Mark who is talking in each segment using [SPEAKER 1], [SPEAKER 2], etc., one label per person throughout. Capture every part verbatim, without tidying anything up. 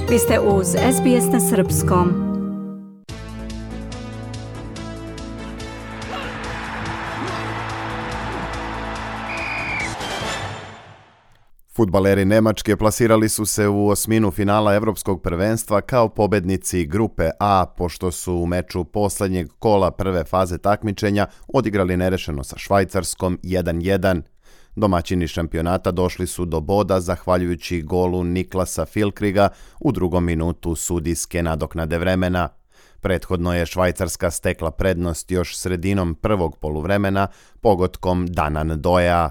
[SPEAKER 1] Vi ste uz S B S na srpskom.
[SPEAKER 2] Fudbaleri Nemačke plasirali su se u osminu finala Evropskog prvenstva kao pobednici grupe A, pošto su u meču poslednjeg kola prve faze takmičenja odigrali nerešeno sa Švajcarskom jedan jedan. Domaćini šampionata došli su do boda zahvaljujući golu Niklasa Füllkriga u drugom minutu sudijske nadoknade vremena. Prethodno je Švajcarska stekla prednost još sredinom prvog poluvremena pogotkom Danan Doea.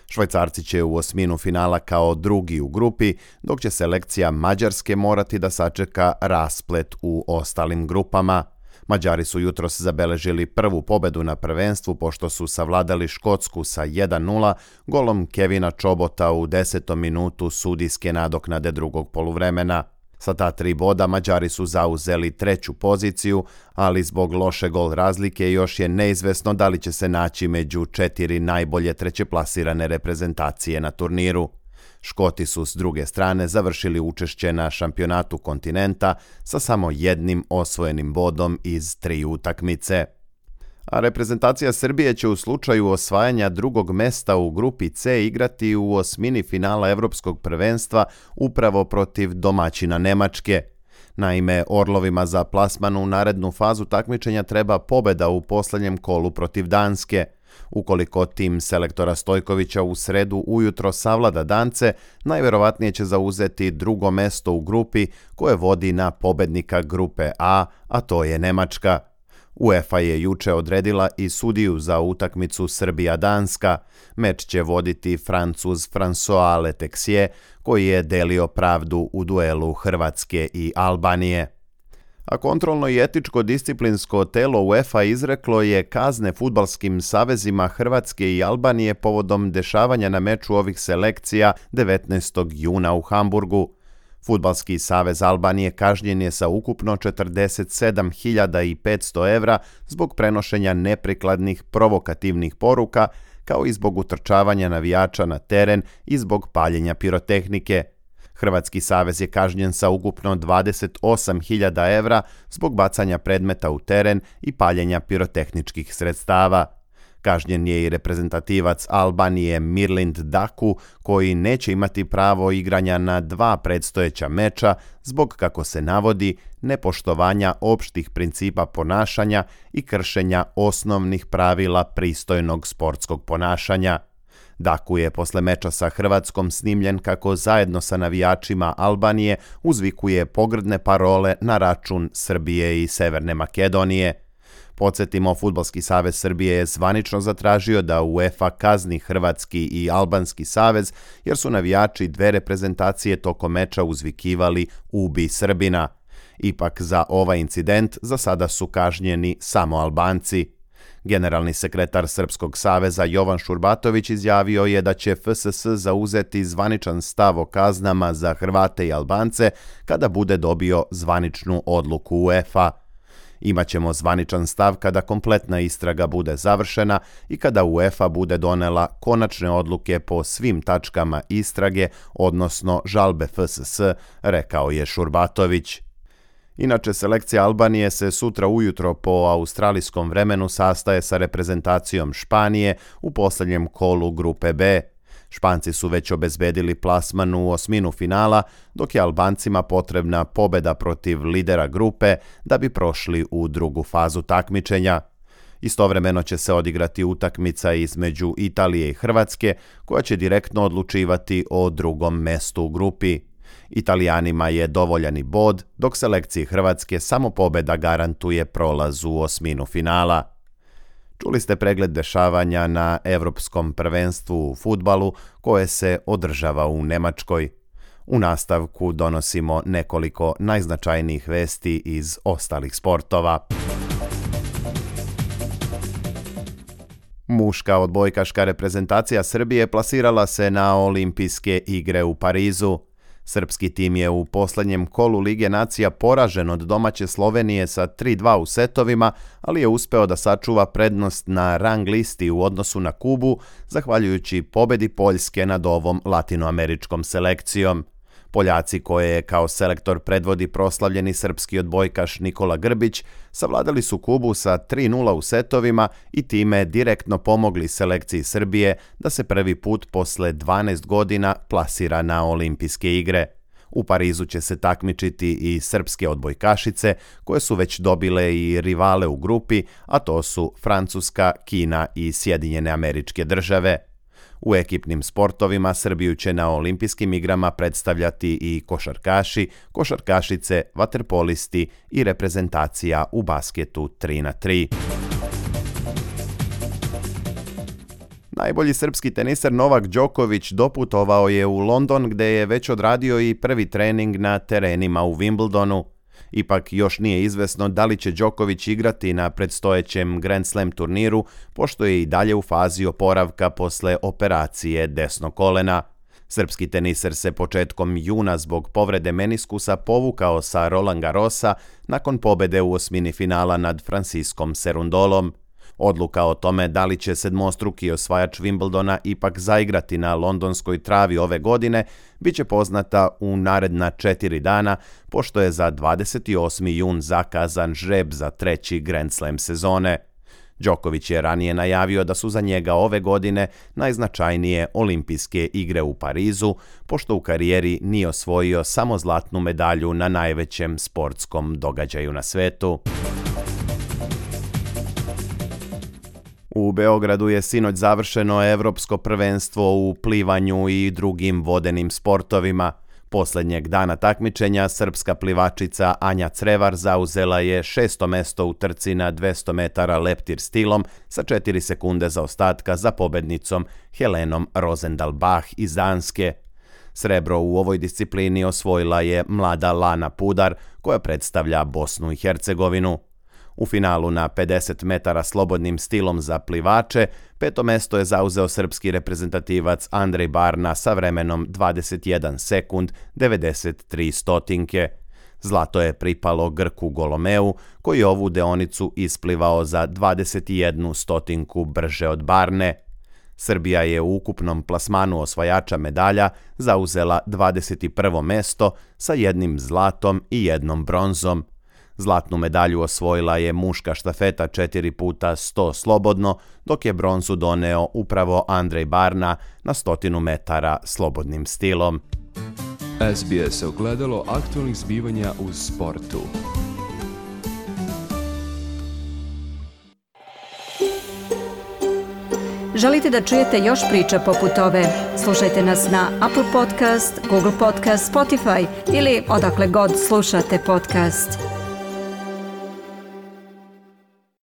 [SPEAKER 2] Švajcarci će u osminu finala kao drugi u grupi, dok će selekcija Mađarske morati da sačeka rasplet u ostalim grupama. Mađari su jutros zabeležili prvu pobedu na prvenstvu pošto su savladali Škotsku sa jedan nula golom Kevina Čobota u desetom minutu sudijske nadoknade drugog poluvremena. Sa ta tri boda Mađari su zauzeli treću poziciju, ali zbog loše gol razlike još je neizvesno da li će se naći među četiri najbolje trećeplasirane reprezentacije na turniru. Škoti su s druge strane završili učešće na šampionatu kontinenta sa samo jednim osvojenim bodom iz tri utakmice. A reprezentacija Srbije će u slučaju osvajanja drugog mesta u grupi C igrati u osmini finala Evropskog prvenstva upravo protiv domaćina Nemačke. Naime, Orlovima za plasman u narednu fazu takmičenja treba pobeda u poslednjem kolu protiv Danske. Ukoliko tim selektora Stojkovića u sredu ujutro savlada Dance, najverovatnije će zauzeti drugo mesto u grupi koje vodi na pobednika grupe A, a to je Nemačka. UEFA je juče odredila i sudiju za utakmicu Srbija-Danska. Meč će voditi Francuz François Letexier, koji je delio pravdu u duelu Hrvatske i Albanije. A kontrolno i etičko disciplinsko telo UEFA izreklo je kazne fudbalskim savezima Hrvatske i Albanije povodom dešavanja na meču ovih selekcija devetnaestog juna u Hamburgu. Fudbalski savez Albanije kažnjen je sa ukupno četrdeset sedam hiljada petsto evra zbog prenošenja neprikladnih provokativnih poruka, kao i zbog utrčavanja navijača na teren i zbog paljenja pirotehnike. Hrvatski savez je kažnjen sa ukupno dvadeset osam hiljada evra zbog bacanja predmeta u teren i paljenja pirotehničkih sredstava. Kažnjen je i reprezentativac Albanije Mirlind Daku, koji neće imati pravo igranja na dva predstojeća meča zbog, kako se navodi, nepoštovanja opštih principa ponašanja i kršenja osnovnih pravila pristojnog sportskog ponašanja. Daku je posle meča sa Hrvatskom snimljen kako zajedno sa navijačima Albanije uzvikuje pogrdne parole na račun Srbije i Severne Makedonije. Podsjetimo, Fudbalski savez Srbije je zvanično zatražio da UEFA kazni Hrvatski i Albanski savez jer su navijači dve reprezentacije tokom meča uzvikivali "Ubi Srbina". Ipak za ovaj incident za sada su kažnjeni samo Albanci. Generalni sekretar Srpskog saveza Jovan Šurbatović izjavio je da će F S S zauzeti zvaničan stav o kaznama za Hrvate i Albance kada bude dobio zvaničnu odluku UEFA. Imaćemo zvaničan stav kada kompletna istraga bude završena i kada UEFA bude donela konačne odluke po svim tačkama istrage, odnosno žalbe F S S, rekao je Šurbatović. Inače, selekcija Albanije se sutra ujutro po australijskom vremenu sastaje sa reprezentacijom Španije u posljednjem kolu grupe B. Španci su već obezbedili plasman u osminu finala, dok je Albancima potrebna pobeda protiv lidera grupe da bi prošli u drugu fazu takmičenja. Istovremeno će se odigrati utakmica između Italije i Hrvatske, koja će direktno odlučivati o drugom mestu u grupi. Italijanima je dovoljan i bod, dok selekciji Hrvatske samo pobeda garantuje prolaz u osminu finala. Čuli ste pregled dešavanja na Evropskom prvenstvu u fudbalu koje se održava u Nemačkoj. U nastavku donosimo nekoliko najznačajnijih vesti iz ostalih sportova. Muška odbojkaška reprezentacija Srbije plasirala se na Olimpijske igre u Parizu. Srpski tim je u posljednjem kolu Lige nacija poražen od domaće Slovenije sa tri dva u setovima, ali je uspeo da sačuva prednost na rang listi u odnosu na Kubu, zahvaljujući pobedi Poljske nad ovom latinoameričkom selekcijom. Poljaci koje kao selektor predvodi proslavljeni srpski odbojkaš Nikola Grbić savladali su Kubu sa tri nula u setovima i time direktno pomogli selekciji Srbije da se prvi put posle dvanaest godina plasira na olimpijske igre. U Parizu će se takmičiti i srpske odbojkašice koje su već dobile i rivale u grupi, a to su Francuska, Kina i Sjedinjene Američke Države. U ekipnim sportovima Srbiju će na olimpijskim igrama predstavljati i košarkaši, košarkašice, vaterpolisti i reprezentacija u basketu tri na tri. Najbolji srpski teniser Novak Đoković doputovao je u London gde je već odradio i prvi trening na terenima u Wimbledonu. Ipak još nije izvesno da li će Đoković igrati na predstojećem Grand Slam turniru, pošto je i dalje u fazi oporavka posle operacije desnog kolena. Srpski teniser se početkom juna zbog povrede meniskusa povukao sa Roland Garrosa nakon pobede u osmini finala nad Franciskom Cerundolom. Odluka o tome da li će sedmostruki osvajač Wimbledona ipak zaigrati na londonskoj travi ove godine biće poznata u naredna četiri dana, pošto je za dvadeset osmi jun zakazan žreb za treći Grand Slam sezone. Đoković je ranije najavio da su za njega ove godine najznačajnije olimpijske igre u Parizu, pošto u karijeri nije osvojio samo zlatnu medalju na najvećem sportskom događaju na svetu. U Beogradu je sinoć završeno evropsko prvenstvo u plivanju i drugim vodenim sportovima. Poslednjeg dana takmičenja srpska plivačica Anja Crevar zauzela je šesto mesto u trci na dvesta metara leptir stilom sa četiri sekunde zaostatka za pobednicom Helenom Rosendahl-Bach iz Danske. Srebro u ovoj disciplini osvojila je mlada Lana Pudar, koja predstavlja Bosnu i Hercegovinu. U finalu na pedeset metara slobodnim stilom za plivače, peto mesto je zauzeo srpski reprezentativac Andrej Barna sa vremenom dvadeset jedan sekund devedeset tri stotinke. Zlato je pripalo Grku Golomeu, koji je ovu deonicu isplivao za dvadeset jednu stotinku brže od Barne. Srbija je u ukupnom plasmanu osvajača medalja zauzela dvadeset prvo mesto sa jednim zlatom i jednom bronzom. Zlatnu medalju osvojila je muška štafeta četiri puta sto slobodno, dok je bronzu doneo upravo Andrej Barna na stotinu metara slobodnim stilom.
[SPEAKER 3] S B S ogledalo aktualnih zbivanja u sportu.
[SPEAKER 1] Želite da čujete još priča poput ove? Slušajte nas na Apple Podcast, Google Podcast, Spotify ili odakle god slušate podcast.